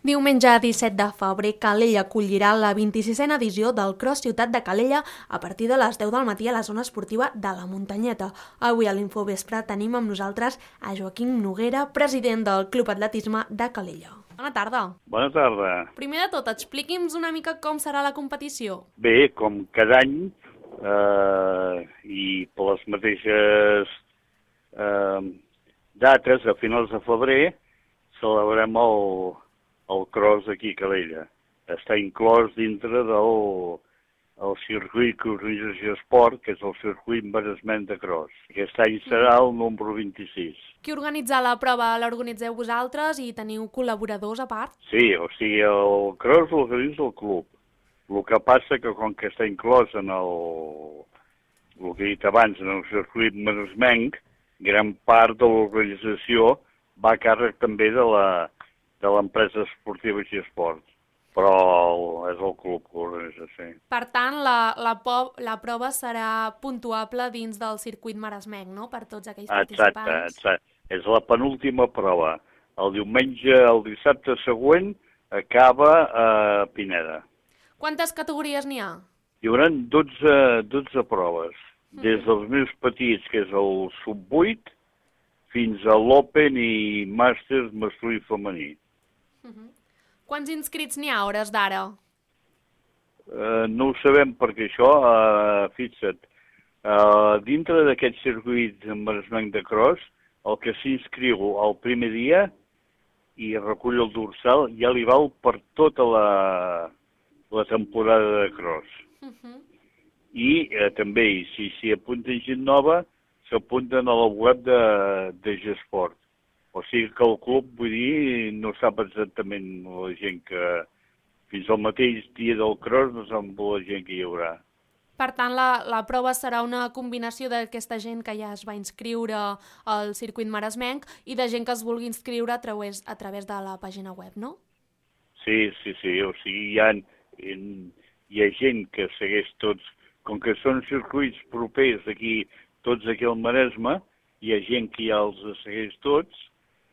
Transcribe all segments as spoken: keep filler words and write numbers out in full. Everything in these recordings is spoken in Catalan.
Diumenge disset de febrer, Calella acollirà la vint-i-sisena edició del Cross Ciutat de Calella a partir de les deu del matí a la zona esportiva de la Muntanyeta. Avui a l'Infovespre tenim amb nosaltres a Joaquim Noguera, president del Club Atletisme de Calella. Bona tarda. Bona tarda. Primer de tot, expliqui'ns una mica com serà la competició. Bé, com cada any, eh, i per les mateixes eh, dates, a finals de febrer, celebrem el, el cross aquí a Calella. Està inclòs dintre del el circuit que organitza Esport, que és el circuit Maresmenc de cross. Aquest any serà el número vint-i-sis. Qui organitza la prova? L'organitzeu vosaltres i teniu col·laboradors a part? Sí, o sigui, el cross l'organitza el club. El que passa que com que està inclòs en el, el que he dit abans, en el circuit Maresmenc, gran part de l'organització va a càrrec també de la de l'empresa esportiva i esport, però és el club que organitza, sí. Per tant, la, la, po la prova serà puntuable dins del circuit maresmenc, no?, per tots aquells exacte, participants. Exacte, és la penúltima prova. El diumenge, el dissabte següent, acaba a Pineda. Quantes categories n'hi ha? Hi haurà dotze, dotze proves, des dels més petits, que és el sub vuit, fins a l'Open i Màsters masculí i femení. Uh -huh. Quants inscrits n'hi ha a hores d'ara? Uh, no ho sabem perquè això, uh, fixa't, uh, dintre d'aquest circuit maresmenc de cross, el que s'inscriu el primer dia i recull el dorsal ja li val per tota la, la temporada de cross. Uh -huh. I uh, també, si s'hi apunta gent nova, s'apunten a la web de, de G-Sport. O sigui que el club, vull dir, no sap exactament la gent que... Fins al mateix dia del cross no sap la gent que hi haurà. Per tant, la, la prova serà una combinació d'aquesta gent que ja es va inscriure al circuit maresmenc i de gent que es vulgui inscriure a través, a través de la pàgina web, no? Sí, sí, sí. O sigui, hi ha, hi ha gent que segueix tots... Com que són circuits propers aquí, tots aquí al Maresme, hi ha gent que ja els segueix tots,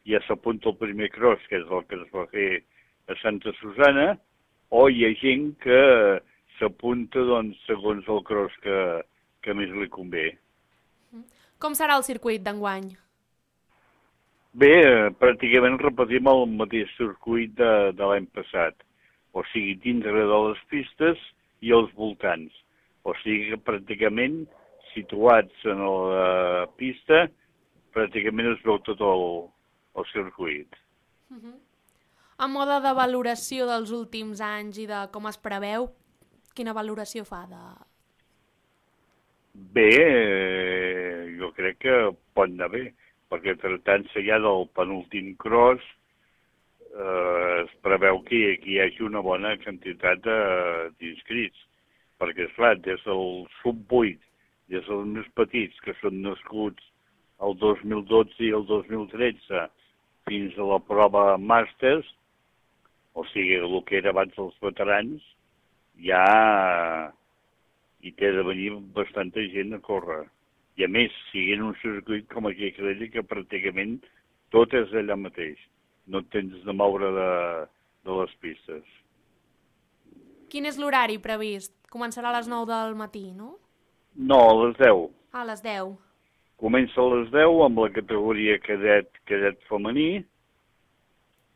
ja s'apunta el primer cross, que és el que es va fer a Santa Susana, o hi ha gent que s'apunta, doncs, segons el cross que, que més li convé. Com serà el circuit d'enguany? Bé, pràcticament repetim el mateix circuit de, de l'any passat, o sigui, dintre de les pistes i els voltants. O sigui que pràcticament situats en la pista, pràcticament es veu tot el, el circuit. Uh -huh. A mode de valoració dels últims anys i de com es preveu, quina valoració fa de... Bé, eh, jo crec que pot anar bé, perquè tractant-se ja del penúltim cross, eh, es preveu que, que hi hagi una bona quantitat d'inscrits, perquè, esclar, des del sub vuit, des dels més petits, que són nascuts el dos mil dotze i el dos mil tretze, fins a la prova Màsters, o sigui, el que era abans dels veterans, ja hi té de venir bastanta gent a córrer. I a més, siguent un circuit com aquí a Calella, que pràcticament tot és allà mateix. No et tens de moure de, de les pistes. Quin és l'horari previst? Començarà a les nou del matí, no? No, a les deu. A les deu. Comença a les deu amb la categoria cadet, cadet femení,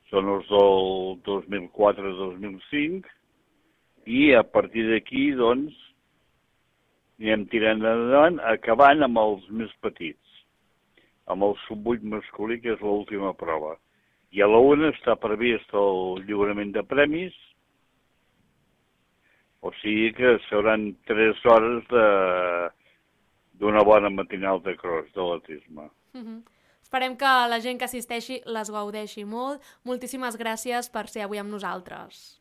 són els del dos mil quatre a dos mil cinc, i a partir d'aquí, doncs, anem tirant endavant, acabant amb els més petits, amb el sub vuit masculí, que és l'última prova. I a la una està previst el lliurament de premis, o sigui que seran tres hores de... d'una bona matinal de cross, d'atletisme. Uh -huh. Esperem que la gent que assisteixi les gaudeixi molt. Moltíssimes gràcies per ser avui amb nosaltres.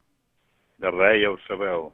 De res, ja ho sabeu.